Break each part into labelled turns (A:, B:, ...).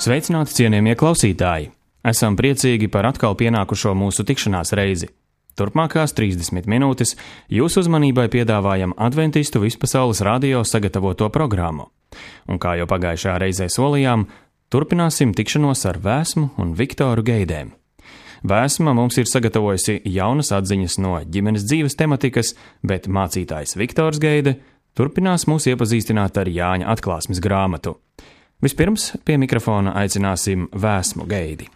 A: Sveicināti, cienījamie klausītāji! Esam priecīgi par atkal pienākušo mūsu tikšanās reizi. Turpmākās 30 minūtes jūsu uzmanībai piedāvājam Adventistu vispasaules radio sagatavoto programmu. Un kā jau pagājušajā reizē solījām, turpināsim tikšanos ar Vēsmu un Viktoru Geidēm. Vēsma mums ir sagatavojusi jaunas atziņas no ģimenes dzīves tematikas, bet mācītājs Viktors Geide turpinās mūs iepazīstināt ar Jāņa atklāsmes grāmatu. Vispirms pie mikrofona aicināsim Vēsmu Geidi.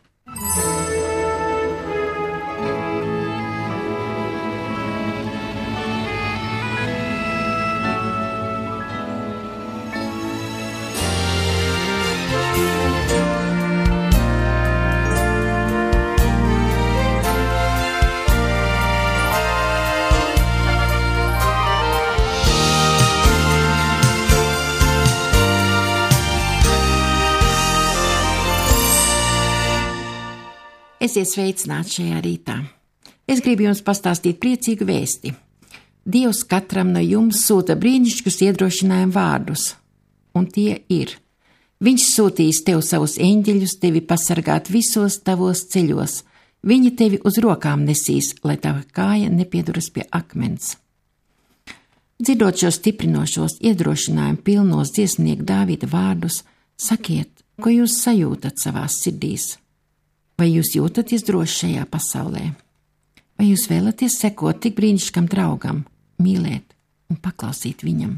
B: Esiet sveicināti šajā rītā. Es gribu jums pastāstīt priecīgu vēsti. Dievs katram no jums sūta brīnišķīgus iedrošinājumu vārdus, un tie ir: Viņš sūtīs tev savus eņģeļus, tevi pasargāt visos tavos ceļos, viņi tevi uz rokām nesīs, lai tava kāja nepieduras pie akmens. Dzirdot šos stiprinošos iedrošinājumu pilnos dziesmnieku Dāvida vārdus, sakiet, ko jūs sajūtat savās sirdīs. Vai jūs jūtaties droši šajā pasaulē? Vai jūs vēlaties sekot tik brīnišķīgam draugam, mīlēt un paklausīt viņam?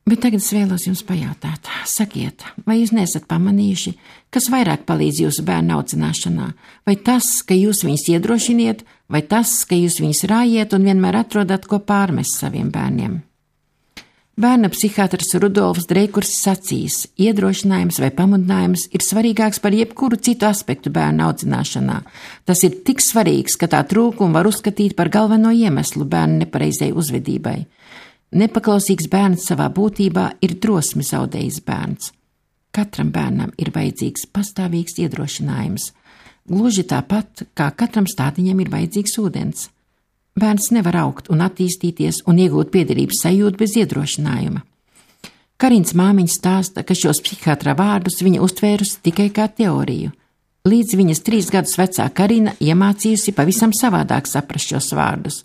B: Bet tagad es vēlos jums pajautāt, sakiet, vai jūs nesat pamanījuši, kas vairāk palīdz jūsu bērnu audzināšanā? Vai tas, ka jūs viņus iedrošiniet, vai tas, ka jūs viņus rājiet un vienmēr atrodat, ko pārmest saviem bērniem? Bērna psihiatrs Rudolfs Dreikurs sacīs: iedrošinājums vai pamudinājums ir svarīgāks par jebkuru citu aspektu bērna audzināšanā. Tas ir tik svarīgs, ka tā trūkumu var uzskatīt par galveno iemeslu bērna nepareizai uzvedībai. Nepaklausīgs bērns savā būtībā ir drosmi zaudējis bērns. Katram bērnam ir vajadzīgs pastāvīgs iedrošinājums. Gluži tāpat, kā katram stātiņam ir vajadzīgs ūdens. Bērns nevar augt un attīstīties un iegūt piederības sajūtu bez iedrošinājuma. Karins māmiņa stāsta, ka šos psihiatra vārdus viņa uztvērusi tikai kā teoriju. Līdz viņas 3 gadus vecā Karina iemācījusi pavisam savādāk saprast šos vārdus.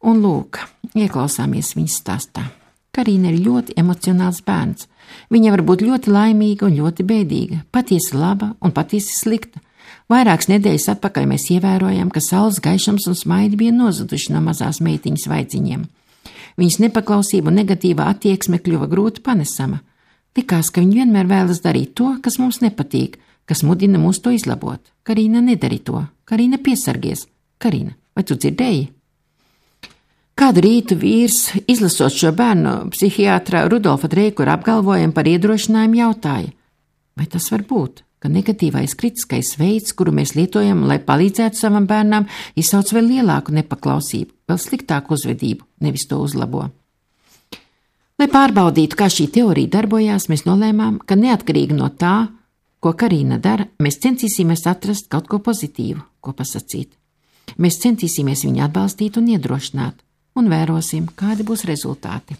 B: Un lūk, ieklausāmies viņas stāstā. Karina ir ļoti emocionāls bērns. Viņa var būt ļoti laimīga un ļoti bēdīga, patiesi laba un patiesi slikta. Vairākas nedēļas atpakaļ mēs ievērojam, ka saules gaišums un smaidi bija nozuduši no mazās meitiņas vaidziņiem. Viņas nepaklausība un negatīvā attieksme kļuva grūti panesama. Likās, ka viņa vienmēr vēlas darīt to, kas mums nepatīk, kas mudina mūs to izlabot. Karina, nedari to. Karina, piesargies. Karina, vai tu dzirdēji? Kādu rītu vīrs, izlasot šo bērnu psihiatra Rudolfa Dreikura apgalvojumu par iedrošinājumu, jautāja: vai tas var būt, ka negatīvais kritiskais veids, kuru mēs lietojam, lai palīdzētu savam bērnam, izsauc vēl lielāku nepaklausību, vēl sliktāku uzvedību, nevis to uzlabo? Lai pārbaudītu, kā šī teorija darbojās, mēs nolēmām, ka neatkarīgi no tā, ko Karina dara, mēs centīsimies atrast kaut ko pozitīvu, ko pasakīt. Mēs centīsimies viņu atbalstīt un iedrošināt, un vērosim, kādi būs rezultāti.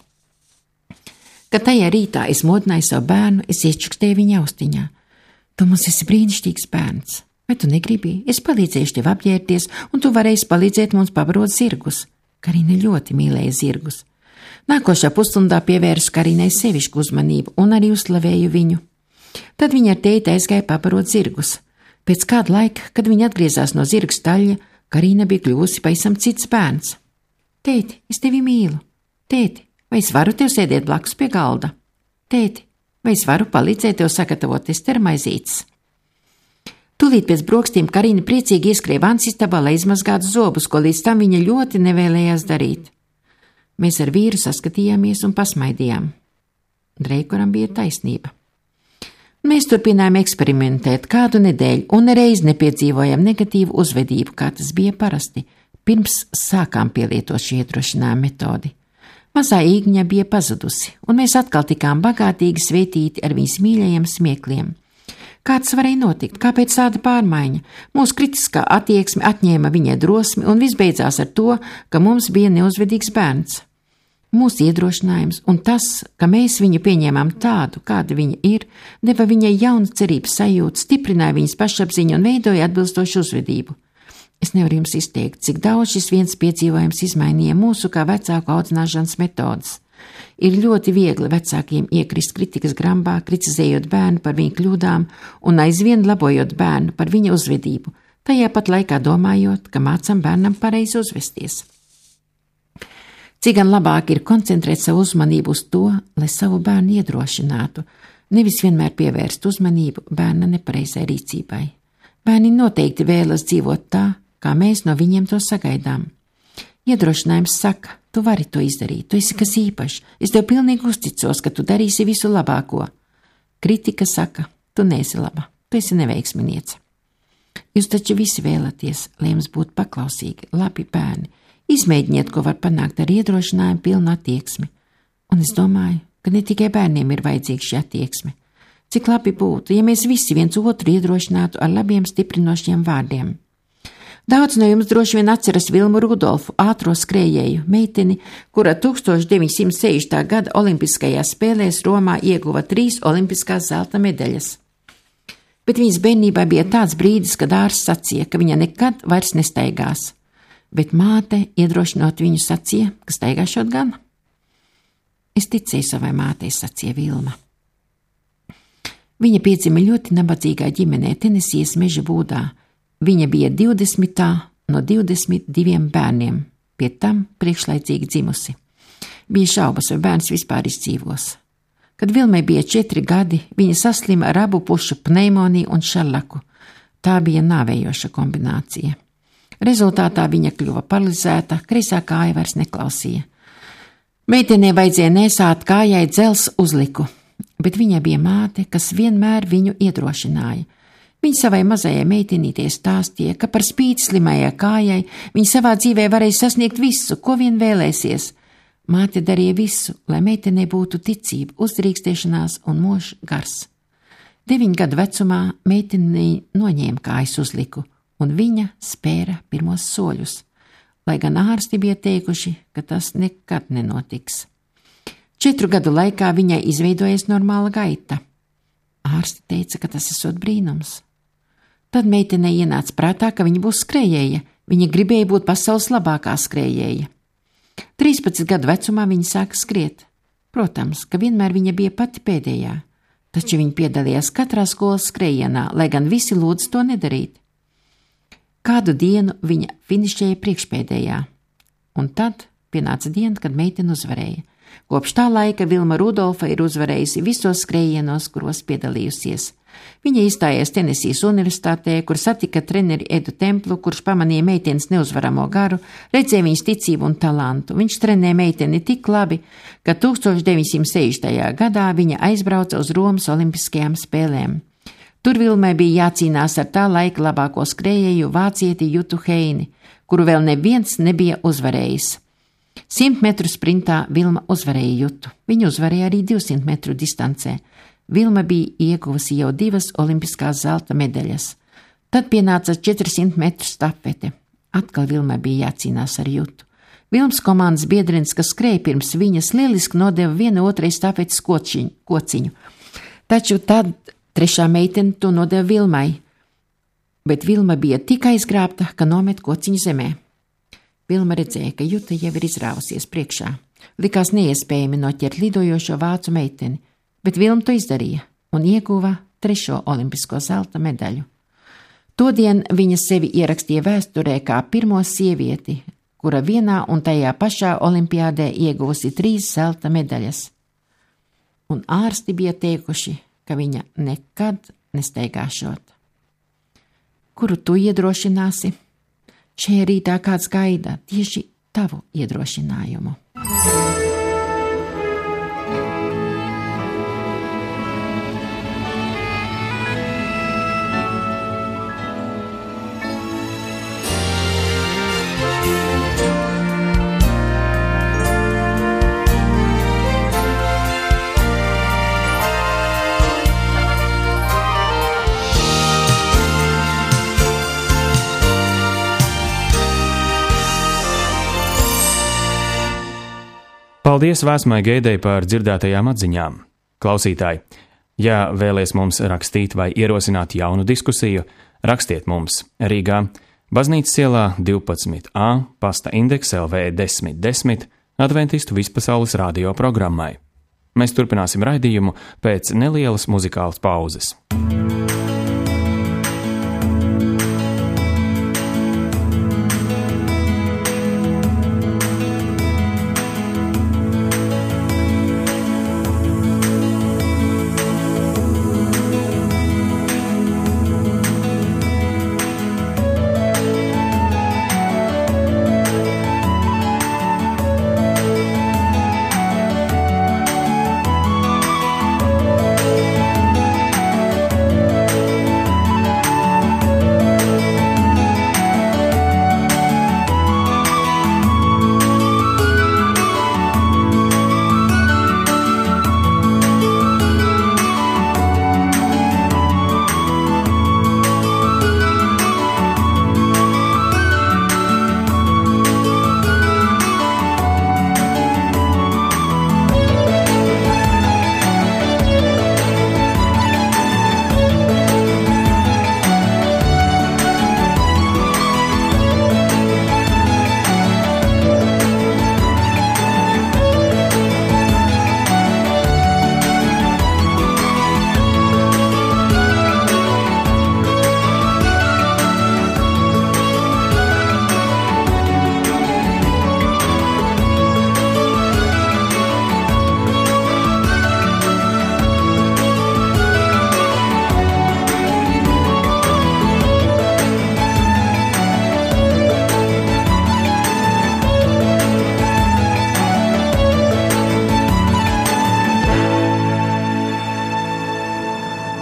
B: Kad tajā rītā es modināju savu bērnu, es iečukstēju viņa austiņā: tu mums esi brīnišķīgs bērns. Vai tu negribi? Es palīdzēšu tev apģērbties, un tu varēsi palīdzēt mums pabarot zirgus. Karina ļoti mīlēja zirgus. Nākošā pusstundā pievērsu Karinai sevišku uzmanību un arī uzslavēju viņu. Tad viņa ar tēti aizgāja pabarot zirgus. Pēc kāda laika, kad viņa atgriezās no zirgu staļļa, Karina bija kļuvusi pavisam cits bērns. Tēti, es tevi mīlu. Tēti, vai es varu tev sēdēt blakus pie galda? Tēti, vai es varu palīdzēt tev sagatavot estermaizītes? Tūlīt pēc brokstīm Karina priecīgi ieskrēja vansistabā, lai izmazgātu zobus, ko līdz tam viņa ļoti nevēlējās darīt. Mēs ar vīru saskatījāmies un pasmaidījām. Dreikuram bija taisnība. Mēs turpinājām eksperimentēt kādu nedēļu un nereiz nepiedzīvojām negatīvu uzvedību, kā tas bija parasti, pirms sākām pielietot šī iedrošinājuma metodi. Mazā īgņa bija pazudusi, un mēs atkal tikām bagātīgi svētīti ar viņas mīļajiem smiekliem. Kāds varēja notikt? Kāpēc tāda pārmaiņa? Mūsu kritiskā attieksme atņēma viņai drosmi, un viss beidzās ar to, ka mums bija neuzvedīgs bērns. Mūsu iedrošinājums un tas, ka mēs viņu pieņēmām tādu, kāda viņa ir, deva viņai jaunu cerības sajūtu, stiprināja viņas pašapziņu un veidoja atbilstošu uzvedību. Es nevaru jums izteikt, cik daudz šis viens piedzīvojums izmainīja mūsu kā vecāku audzināšanas metodas. Ir ļoti viegli vecākiem iekrist kritikas grambā, kritizējot bērnu par viņa kļūdām un aizvien labojot bērnu par viņa uzvedību, tajā pat laikā domājot, ka mācam bērnam pareizi uzvesties. Cik gan labāk ir koncentrēt savu uzmanību uz to, lai savu bērnu iedrošinātu, nevis vienmēr pievērst uzmanību bērna nepareizai rīcībai. Bērni noteikti vēlas dzīvot tā, kā mēs no viņiem to sagaidām. Iedrošinājums saka, tu vari to izdarīt, tu esi kas īpašs, es tev pilnīgi uzticos, ka tu darīsi visu labāko. Kritika saka, tu neesi laba, tu esi neveiksminiece. Jūs taču visi vēlaties, lai jums būtu paklausīgi, labi bērni. Izmēģiniet, ko var panākt ar iedrošinājumu pilnu attieksmi. Un es domāju, ka ne tikai bērniem ir vajadzīga šī attieksme. Cik labi būtu, ja mēs visi viens otru iedrošinātu ar labiem stiprinošiem vārdiem. Daudz no jums droši vien atceras Vilmu Rudolfu, ātro skrējēju, meiteni, kura 1960. gada Olimpiskajās spēlēs Romā ieguva 3 olimpiskās zelta medaļas. Bet viņas bērnībā bija tāds brīdis, kad ārsts sacīja, ka viņa nekad vairs nestaigās. Bet māte, iedrošinot viņu, sacīja, ka staigāšot gan. Es ticēju savai mātei, sacīja Vilma. Viņa piedzima ļoti nabadzīgā ģimenē Tenesijas meža būdā. Viņa bija 20. no 22 bērniem, pie tam priekšlaicīgi dzimusi. Bija šaubas, vai bērns vispār izdzīvos. Kad Vilmai bija 4 gadi, viņa saslima ar abu pušu pneimoniju un šarlaku. Tā bija nāvējoša kombinācija. Rezultātā viņa kļuva paralizēta, kreisā kāja vairs neklausīja. Meitenei vajadzēja nesāt kājai dzels uzliku, bet viņai bija māte, kas vienmēr viņu iedrošināja. Viņa savai mazajai meitenītei stāstīja, ka par spīti slimajai kājai viņa savā dzīvē varēja sasniegt visu, ko vien vēlēsies. Māte darīja visu, lai meitenei būtu ticība, uzdrīkstēšanās un mošs gars. 9 gadu vecumā meitenei noņēma kājas uzliku, un viņa spēra pirmos soļus, lai gan ārsti bija teikuši, ka tas nekad nenotiks. 4 gadu laikā viņai izveidojies normāla gaita. Ārsti teica, ka tas esot brīnums. Tad meitenei ienāca prātā, ka viņa būs skrējēja, viņa gribēja būt pasaules labākā skrējēja. 13 gadu vecumā viņa sāka skriet. Protams, ka vienmēr viņa bija pati pēdējā, taču viņa piedalījās katrā skolas skrējienā, lai gan visi lūdz to nedarīt. Kādu dienu viņa finišēja priekšpēdējā, un tad pienāca diena, kad meitene uzvarēja. Kopš tā laika Vilma Rudolfa ir uzvarējusi visos skrējienos, kuros piedalījusies. Viņa izstājās Tenesijas universitātē, kur satika treneri Edu Templu, kurš pamanīja meitenes neuzvaramo garu, redzēja viņas ticību un talantu. Viņš trenēja meiteni tik labi, ka 1960. gadā viņa aizbrauca uz Romas olimpiskajām spēlēm. Tur Vilmai bija jācīnās ar tā laika labāko skrējēju vācieti Jutu Heini, kuru vēl neviens nebija uzvarējis. 100 metru sprintā Vilma uzvarēja Jutu. Viņa uzvarēja arī 200 metru distancē. Vilma bija ieguvusi jau 2 olimpiskās zelta medaļas. Tad pienāca 400 metru stafete. Atkal Vilmai bija jācīnās ar Jutu. Vilmas komandas biedrenis, kas skrēja pirms viņas, lieliski nodeva viena otrai stafetes kociņu. Taču tad trešā meitene to nodeva Vilmai, bet Vilma bija tik aizgrābta, ka nomet kociņu zemē. Vilma redzēja, ka Juta jau ir izrāvusies priekšā. Likās neiespējami noķert lidojošo vācu meiteni, bet Vilma to izdarīja un ieguva 3. olimpisko zelta medaļu. Todien viņa sevi ierakstīja vēsturē kā pirmo sievieti, kura vienā un tajā pašā olimpiādē ieguvusi 3 zelta medaļas. Un ārsti bija teikuši, ka viņa nekad nestaigāšot. Kuru tu iedrošināsi? Šajā rītā kāds gaida tieši tavu iedrošinājumu.
A: Paldies Vēsmai Geidei par dzirdētajām atziņām. Klausītāji, ja vēlies mums rakstīt vai ierosināt jaunu diskusiju, rakstiet mums Rīgā, Baznīcas ielā 12A, pasta indeks LV 1010, Adventistu Vispasaules radio programmai. Mēs turpināsim raidījumu pēc nelielas muzikālas pauzes.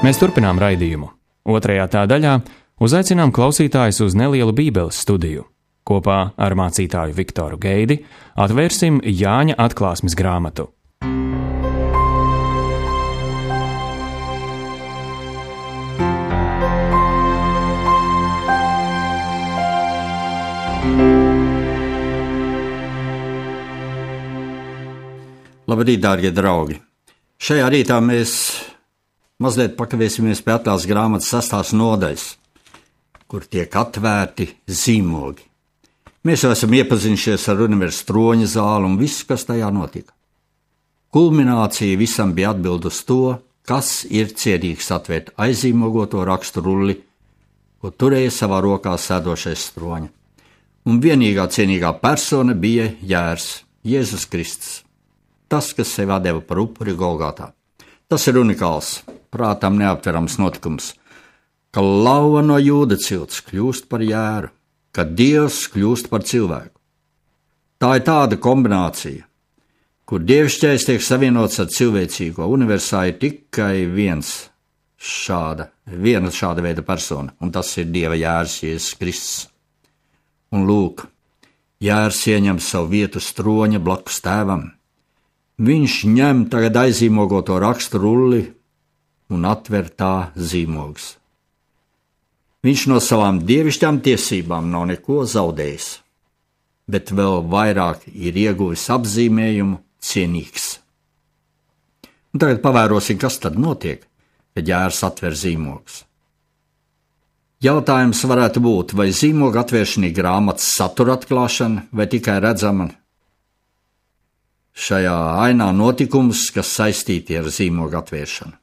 A: Mēs turpinām raidījumu. Otrajā tā daļā uzaicinām klausītājus uz nelielu bībeles studiju. Kopā ar mācītāju Viktoru Geidi atvērsim Jāņa atklāsmes grāmatu.
C: Labrīt, dārgie draugi! Šajā rītā mēs mazliet pakavēsimies pie atklāsmes grāmatas 6. nodaļas, kur tiek atvērti zīmogi. Mēs jau esam iepazinušies ar universa troņa zāli un visu, kas tajā notika. Kulminācija visam bija atbild uz to, kas ir cienīgs atvērt aizīmogoto rakstu rulli, ko turēja savā rokā sēdošais troņa. Un vienīgā cienīgā persona bija Jērs, Jēzus Kristus, tas, kas sevi atdeva par upuri Golgātā. Tas ir unikāls, prātam neaptverams notikums, ka lauva no Jūda cilts kļūst par Jēru, ka Dievs kļūst par cilvēku. Tā ir tāda kombinācija, kur dievišķais tiek savienots ar cilvēcīgo. Universā ir tikai viena šāda veida persona, un tas ir Dieva Jērs, Jēzus Kristus. Un lūk, Jērs ieņem savu vietu troņa blakus tēvam. Viņš ņem tagad aizīmogoto rakstu rulli un atver tā zīmogus. Viņš no savām dievišķām tiesībām nav neko zaudējis, bet vēl vairāk ir ieguvis apzīmējumu cienīgs. Un tagad pavērosim, kas tad notiek, kad Jērs atver zīmogus. Jautājums varētu būt, vai zīmogu atvēršana ir grāmatas satura atklāšana vai tikai redzama šajā ainā notikums, kas saistīti ar zīmogu atvēršanu.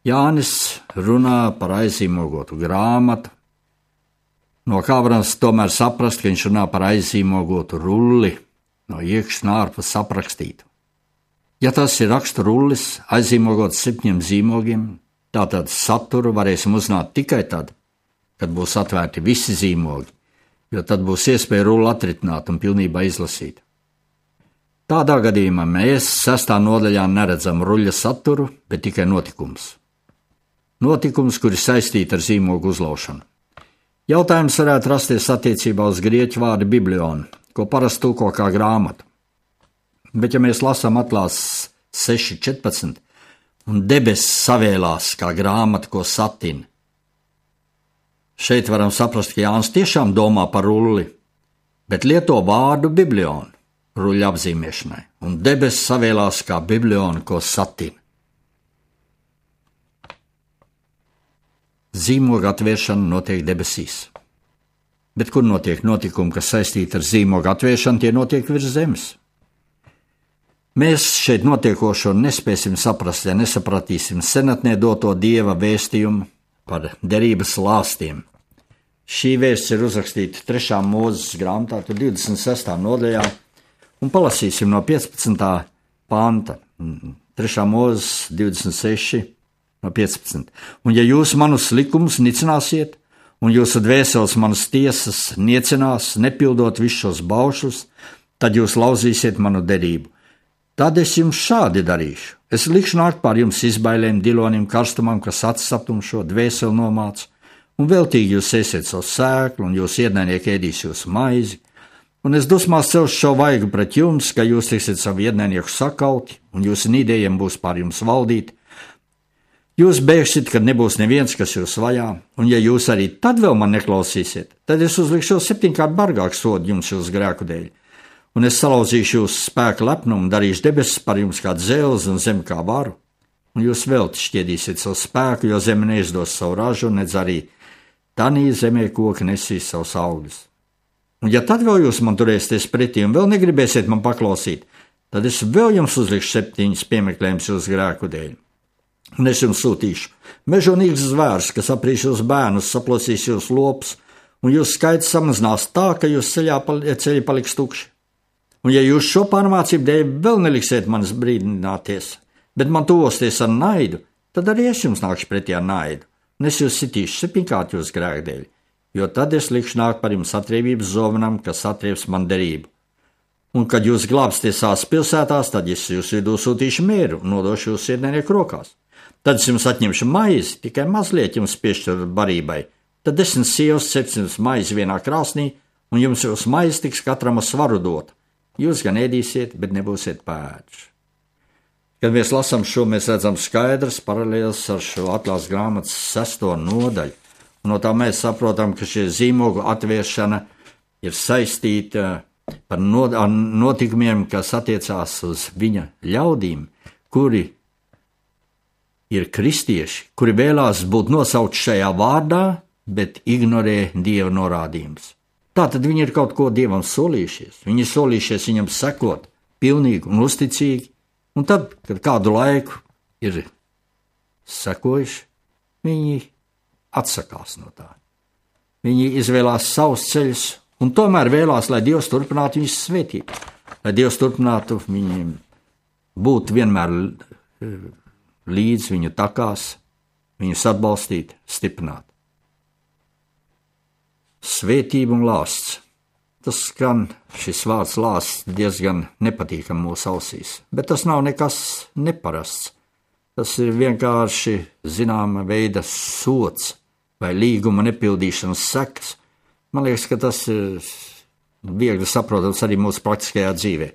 C: Jānis runā par aizīmogotu grāmatu, no kā varam tomēr saprast, ka viņš runā par aizīmogotu rulli, no iekšas un ārpus aprakstītu. Ja tas ir rakstu rullis, aizīmogots 7 zīmogiem, tātad saturu varēsim uzzināt tikai tad, kad būs atvērti visi zīmogi, jo tad būs iespēja rulli atritināt un pilnībā izlasīt. Tādā gadījumā mēs 6. nodaļā neredzam ruļļa saturu, bet tikai notikums. Notikums, kur ir saistīti ar zīmogu uzlaušanu. Jautājums varētu rasties attiecībā uz grieķu vārdu biblionu, ko parasti tulko kā grāmatu. Bet ja mēs lasām atklāsmes 6.14 un debesis savēlās kā grāmata, ko satina, šeit varam saprast, ka Jānis tiešām domā par rulli, bet lieto vārdu biblionu. ruļļa apzīmēšanai, un debesis savēlās kā bibliona, ko satina. Zīmoga atvēršana notiek debesīs. Bet kur notiek notikumi, kas saistīti ar zīmoga atvēršanu, tie notiek virs zemes. Mēs šeit notiekošo nespēsim saprast, ja nesapratīsim senatnē doto Dieva vēstījumu par derības lāstiem. Šī vēsts ir uzrakstīta 3. Mūzes grāmatā, 26. nodaļā, un palasīsim no 15. panta, 3. Mūzes 26. no 15. Un ja jūs manus likumus nicināsiet, un jūsu dvēseles manas tiesas niecinās, nepildot visus šos baušus, tad jūs lauzīsiet manu derību. Tad es jums šādi darīšu. Es likšu nākt pār jums izbailēm, dilonim, karstumam, kas atsaptumšo, dvēseli nomāc, un veltīgi jūs ēsiet savu sēklu, un jūs ienaidnieki ēdīs jūsu maizi. Un es dusmās celšu šo vaigu pret jums, ka jūs tiksiet savu ienaidnieku sakauti, un jūsu nīdējiem būs pār jums valdīt. Jūs bēgsiet, kad nebūs neviens, kas jūs vajā, un ja jūs arī tad vēl man neklausīsiet, tad es uzlikšu 7-kārt bargāku sodu jums jūsu grēku dēļ. Un es salauzīšu jūsu spēku lepnumu, darīšu debesis par jums kā dzelzi un zemi kā varu, un jūs velti šķiedīsiet savu spēku, jo zeme neizdos savu ražu, nedz arī tanī zemē koki nesīs savus augļus. Un ja tad vēl jūs man turēsieties pretī un vēl negribēsiet man paklausīt, tad es vēl jums uzlikšu 7 piemeklējumus jūsu grēku dēļ. Un es jums sūtīšu mežonīgus zvērus, kas aprīs jūsu bērnus, saplosīs jūsu lopus, un jūsu skaits samazinās tā, ka jūsu ceļi paliks tukši. Un ja jūs šo pārmācību dēļ vēl neliksiet manis brīdināties, bet man tuvosties ar naidu, tad arī es jums nākšu pretī ar naidu, un es jūs sitīšu 7-kārt jūsu grēku dēļ, jo tad es likšu nākt par jums atriebības zovenam, kas atrieps man derību. Un kad jūs glābsties savās pilsētās, tad es jūs vidū sūtīšu mieru un nodošu jūsu ienaidnieku rokās. Tad es jums atņemšu maizi, tikai mazliet jums piešķiru barībai, tad 10 sievas cepsim maizi vienā krāsnī, un jums jūsu maizi tiks katram ar svaru dot. Jūs gan ēdīsiet, bet nebūsiet pēdši. Kad mēs lasām šo, mēs redzam skaidrs paralēls ar šo atklāsmes grāmatas 6. nodaļu. Un no tā mēs saprotam, ka šie zīmogu atvēršana ir saistīta ar notikumiem, kas attiecās uz viņa ļaudīm, kuri ir kristieši, kuri vēlās būt nosaukt šajā vārdā, bet ignorē Dieva norādījumus. Tātad viņi ir kaut ko Dievam solījušies. Viņi ir solījušies viņam sekot pilnīgi un uzticīgi, un tad, kad kādu laiku ir sekojuši, viņi atsakās no tā. Viņi izvēlās savus ceļus, un tomēr vēlās, lai Dievs turpinātu viņus svētīt, lai Dievs turpinātu viņiem būt vienmēr līdz viņu takās, viņus atbalstīt, stiprināt. Svētība un lāsts. Tas skan, šis vārds lāsts, diezgan nepatīkam mūsu ausīs, bet tas nav nekas neparasts. Tas ir vienkārši zināma veida sods vai līguma nepildīšanas sekas. Man liekas, ka tas ir viegli saprotams arī mūsu praktiskajā dzīvē.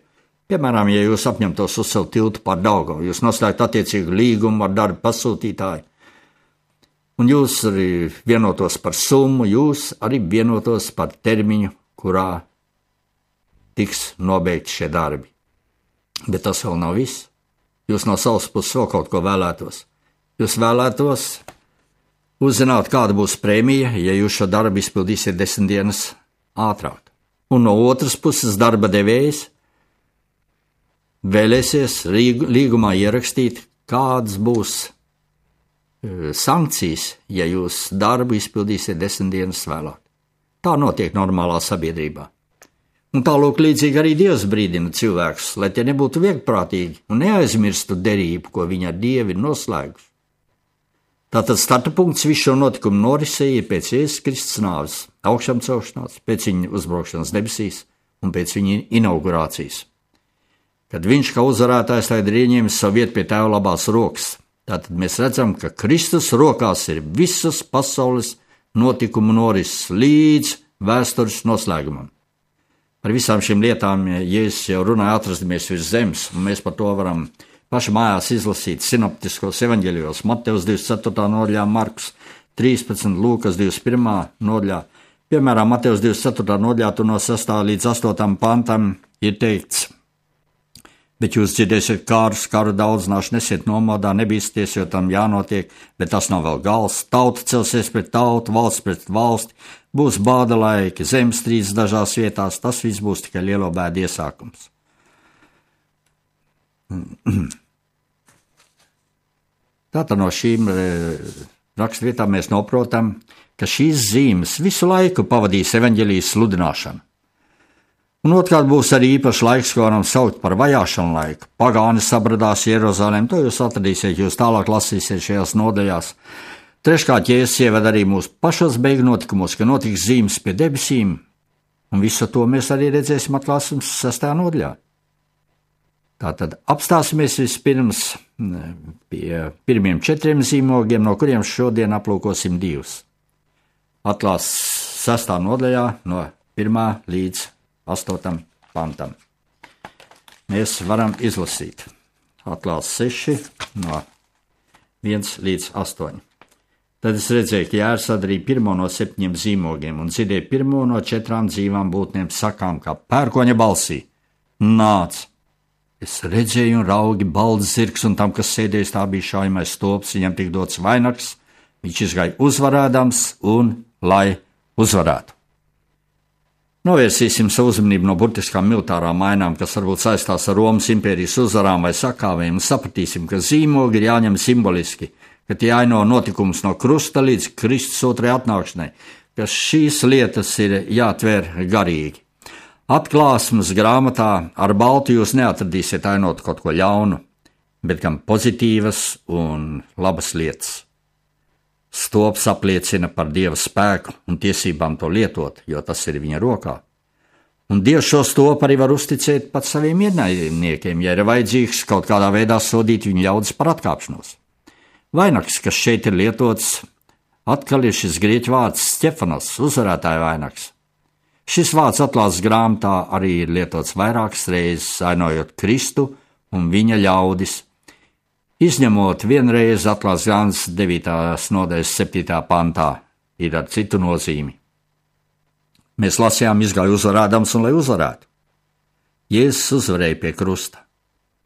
C: Piemēram, ja jūs apņemtos uzcelt tiltu pār Daugavu, jūs noslēgt attiecīgu līgumu ar darba pasūtītāju, un jūs arī vienotos par summu, jūs arī vienotos par termiņu, kurā tiks nobeigti šie darbi. Bet tas vēl nav viss. Jūs no savas puses vēl kaut ko vēlētos. Jūs vēlētos uzzināt, kāda būs prēmija, ja jūs šo darbu izpildīsiet 10 dienas ātrāk. Un no otras puses darba devējs vēlēsies līgumā ierakstīt, kādas būs sankcijas, ja jūs darbu izpildīsiet 10 dienas vēlāk. Tā notiek normālā sabiedrībā. Un tālūk līdzīgi arī Dievs brīdina cilvēkus, lai tie nebūtu viegprātīgi un neaizmirstu derību, ko viņi ar Dievu ir noslēguši. Tātad starta punkts visu šo notikumu norisē ir pēc Jēzus Kristus nāves, augšām celšanās, pēc viņa uzbraukšanas debesīs un pēc viņa inaugurācijas. Kad viņš kā uzvarētājs tagad ir ieņēmis savu vietu pie Tēva labās rokas, tātad mēs redzam, ka Kristus rokās ir visas pasaules notikumu norises līdz vēstures noslēgumam. Par visām šīm lietām Jēzus jau runāja atrastamies virs zemes, un mēs par to varam paši mājās izlasīt sinoptiskos evaņģēlijos, Mateus 24. nodaļā, Markus 13, Lūkas 21. nodaļā. Piemēram, Mateus 24. nodaļā no 6. līdz 8. pantam ir teikts: Bet jūs dzirdēsiet karu daudzināšanu, nesiet nomodā, nebīsties, jo tam jānotiek, bet tas nav vēl gals. Tauta celsies pret tautu, valsts pret valsti, būs bāda laiki, zemestrīces dažās vietās, tas viss būs tikai lielo bēdu iesākums. Tātad no šīm rakstvietām mēs noprotam, ka šīs zīmes visu laiku pavadīs evaņģelijas sludināšanu. Un otrkārt būs arī īpašs laiks, ko varam saukt par vajāšanu laiku. Pagāni sabradās Jeruzalem, to jūs atradīsiet, jūs tālāk lasīsiet šajās nodaļās. Treškārt, Jēzus ieved arī mūsu pašos beigu notikumos, ka notiks zīmes pie debesīm, un visu to mēs arī redzēsim atklāsmes 6. nodaļā. Tātad apstāsimies vispirms pie pirmiem 4 zīmogiem, no kuriem šodien aplūkosim 2. Atklās 6. nodaļā no 1. līdz 8. pantam. Mēs varam izlasīt. Atklās 6 no 1 līdz 8. Tad es redzēju, ka Jēzus atdarīja pirmo no 7 zīmogiem un dzirdēja pirmo no 4 dzīvām būtnēm sakām, kā pērkoņa balsī: nāc! Es redzēju un raugi balts zirgs, un tam, kas sēdējis, tā bija šaujamais stulps, viņam tik dots vainags, viņš izgāja uzvarēdams un lai uzvarētu. Novērsīsim savu uzmanību no burtiskām militārām mainām, kas varbūt saistās ar Romas impērijas uzvarām vai sakāvēm, un sapratīsim, ka zīmogi ir jāņem simboliski, ka tie aino notikums no krusta līdz Kristus otrajai atnākšanai, ka šīs lietas ir jātver garīgi. Atklāsmes grāmatā ar baltu jūs neatradīsiet ainot kaut ko ļaunu, bet gan pozitīvas un labas lietas. Stops apliecina par Dieva spēku un tiesībām to lietot, jo tas ir viņa rokā. Un Dievs šo stopu arī var uzticēt pat saviem ienaidniekiem, ja ir vajadzīgs kaut kādā veidā sodīt viņu ļaudis par atkāpšanos. Vainags, kas šeit ir lietots, atkal ir šis grieķu vārds Stefanos, uzvarētāja vainags. Šis vārds atklāsmes grāmatā arī ir lietots vairākas reizes, ainojot Kristu un viņa ļaudis, izņemot vienreiz atklāsmes grāmatas 9. nodaļas 7. pantā, ir ar citu nozīmi. Mēs lasījām, izgāja uzvarēdams un lai uzvarētu. Jēzus uzvarēja pie krusta,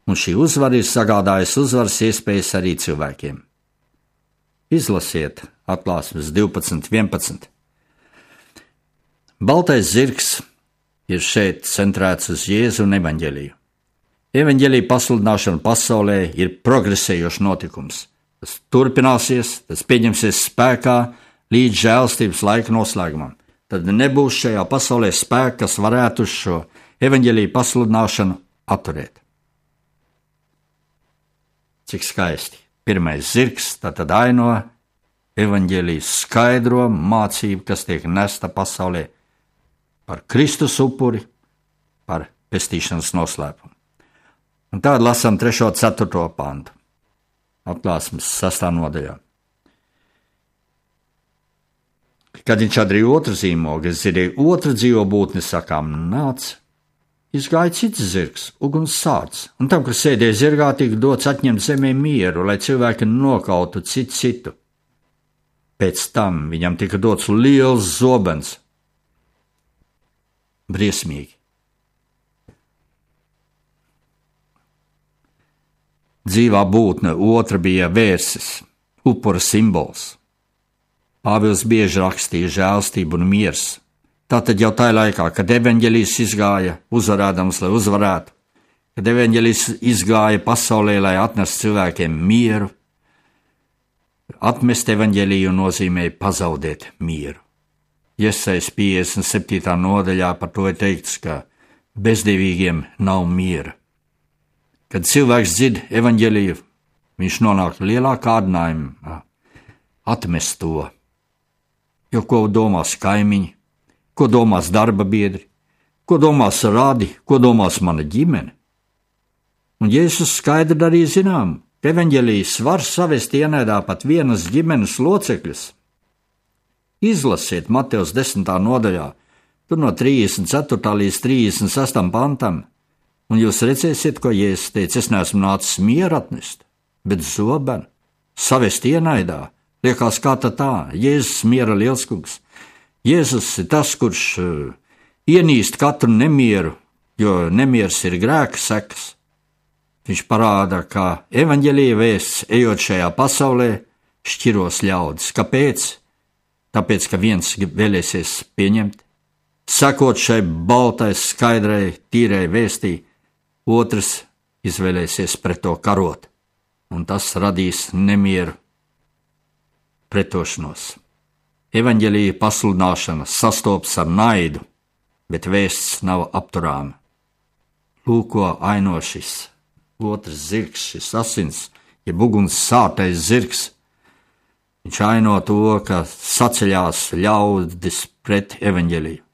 C: un šī uzvara ir sagādājusi uzvaras iespējas arī cilvēkiem. Izlasiet atklāsmes 12.11. Baltais zirgs ir šeit centrēts uz Jēzu un evaņģeliju. Evaņģelija pasludināšana pasaulē ir progresējošs notikums. Tas turpināsies, tas pieņemsies spēkā līdz žēlstības laika noslēgumam. Tad nebūs šajā pasaulē spēka, kas varētu šo evaņģeliju pasludināšanu atturēt. Cik skaisti. Pirmais zirgs tātad aino evaņģelijas skaidro mācību, kas tiek nesta pasaulē par Kristus upuri, par pestīšanas noslēpumu. Un tādu lasām 3. un 4. pantu. Atklāsmes 6. nodaļā. Kad viņš atdarīja otru zīmogu, es dzirdēju otru dzīvo būtni sakām: nāc! Izgāja cits zirgs, uguns sārds, un tam, kas sēdēja zirgā, tika dots atņemt zemē mieru, lai cilvēki nokautu citu. Pēc tam viņam tika dots liels zobens. Briesmīgi. Dzīvā būtne otra bija vērsis, upura simbols. Pāvils bieži rakstīja žēlstību un miers. Tātad jau tajā laikā, kad evaņģelijs izgāja uzvarēdams, lai uzvarētu, kad evaņģelijs izgāja pasaulē, lai atnestu cilvēkiem mieru, atmest evaņģeliju nozīmēja pazaudēt mieru. Jesajas 57. nodaļā par to ir teikts, ka bezdevīgiem nav miera. Kad cilvēks dzird evaņģeliju, viņš nonāk lielā kārdinājumā atmest to. Jo ko domās kaimiņi, ko domās darba biedri, ko domās radi, ko domās mana ģimene? Un Jēzus skaidri darīja zinām, ka evaņģelijas var savest ienaidā pat vienas ģimenes locekļus. Izlasiet Mateus 10. nodaļā, tur no 34. līdz 36. pantam, un jūs redzēsiet, ko Jēzus teica: es neesmu nācis mieru atnest, bet zobenu, savest ienaidā. Liekas, kā tā, Jēzus miera lielskungs. Jēzus ir tas, kurš ienīst katru nemieru, jo nemieris ir grēka sekas. Viņš parāda, ka evaņģēlija vēsts, ejot šajā pasaulē, šķiros ļaudis. Kāpēc? Tāpēc, ka viens vēlēsies pieņemt, sekot šai baltai, skaidrai, tīrai vēstī, otrs izvēlēsies pret to karot, un tas radīs nemieru, pretošanos. Evaņģēlija pasludināšana sastopas ar naidu, bet vēsts nav apturāma. Lūk, ko aino šis otrs zirgs, šis asins, jeb uguns sātais zirgs. Viņš aino to, ka saceļās ļaudis pret evaņģēliju.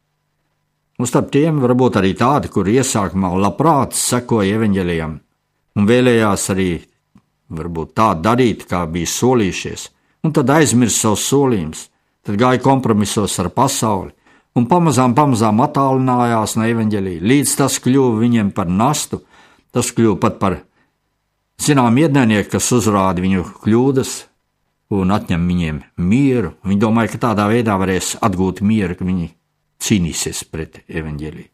C: Un starp tiem varbūt arī tādi, kuri iesākumā labprāt sekoja evaņģēlijam un vēlējās arī varbūt tā darīt, kā bija solījušies, un tad aizmirst savus solījumus, tad gāja kompromisos ar pasauli un pamazām attālinājās no evaņģēlija, līdz tas kļuva viņiem par nastu, tas kļuva pat par zinām ienaidnieku, kas uzrāda viņu kļūdas un atņem viņiem mieru. Viņi domāja, ka tādā veidā varēs atgūt mieru, ka viņi cīnīsies pret evaņģēliju.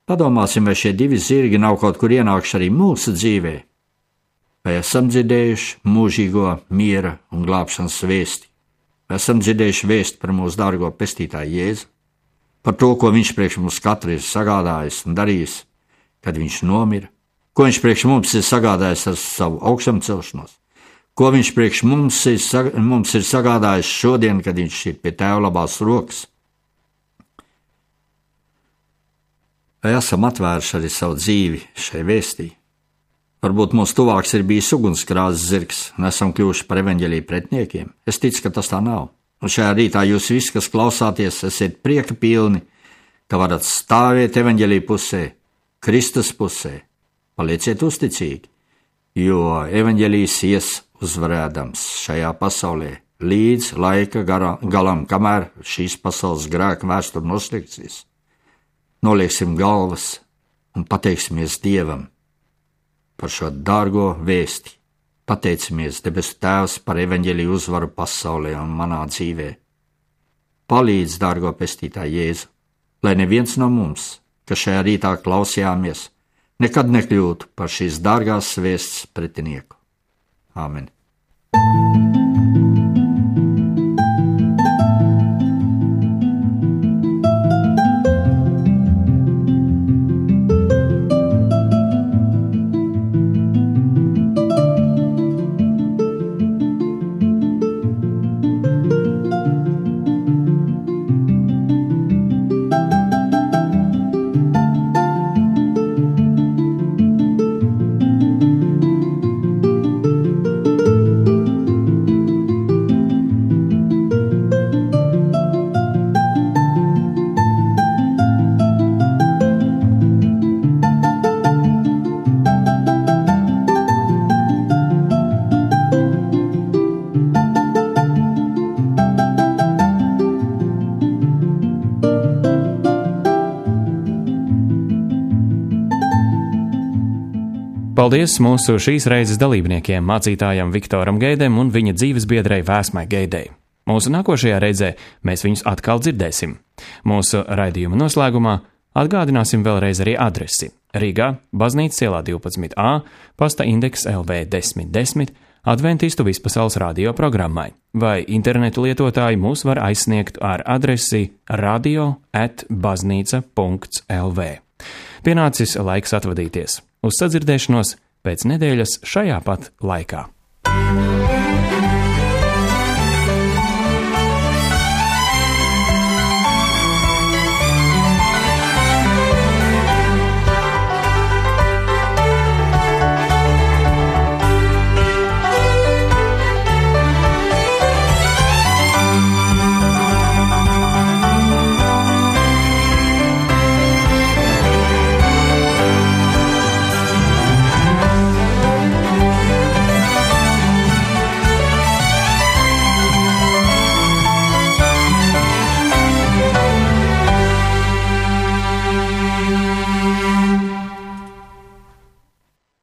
C: Padomāsim, vai šie divi zirgi nav kaut kur ienākuši arī mūsu dzīvē, vai esam dzirdējuši mūžīgo miera un glābšanas vēsti, vai esam dzirdējuši vēsti par mūsu dārgo pestītāju Jēzu, par to, ko viņš priekš mums katru ir sagādājis un darījis, kad viņš nomira, ko viņš priekš mums ir sagādājis ar savu augšām celšanos, ko viņš priekš mums ir sagādājis šodien, kad viņš ir pie Tēva labās rokas. Vai esam atvēruši arī savu dzīvi šai vēstī? Varbūt mūsu tuvāks ir bijis ugunskrāzes zirgs, un esam kļuvuši par evaņģēliju pretniekiem. Es ticu, ka tas tā nav. Un šajā rītā jūs visi, kas klausāties, esiet prieka pilni, ka varat stāvēt evaņģēliju pusē, Kristus pusē. Palieciet uzticīgi, jo evaņģēlijs ies uzvarēdams šajā pasaulē līdz laika galam, kamēr šīs pasaules grēka vēsture noslēgsies. Nolieksim galvas un pateiksimies Dievam par šo dārgo vēsti. Pateicamies, debesu Tēvs, par evaņģēliju uzvaru pasaulē un manā dzīvē. Palīdz, dārgo pestītāj Jēzu, lai neviens no mums, kas šajā rītā klausījāmies, nekad nekļūtu par šīs dārgās vēsts pretinieku. Āmen.
A: Paldies mūsu šīs reizes dalībniekiem, mācītājam Viktoram Geidem un viņa dzīvesbiedrei Vēsmai Geidei. Mūsu nākošajā reizē mēs viņus atkal dzirdēsim. Mūsu raidījuma noslēgumā atgādināsim vēlreiz arī adresi. Rīgā, Baznīcas ielā 12A, pasta indeks LV 1010, Adventistu Vispasaules radio programmai, vai internetu lietotāji mūs var aizsniegt ar adresi radio@baznīca.lv. Pienācis laiks atvadīties. Uz sadzirdēšanos pēc nedēļas šajā pat laikā.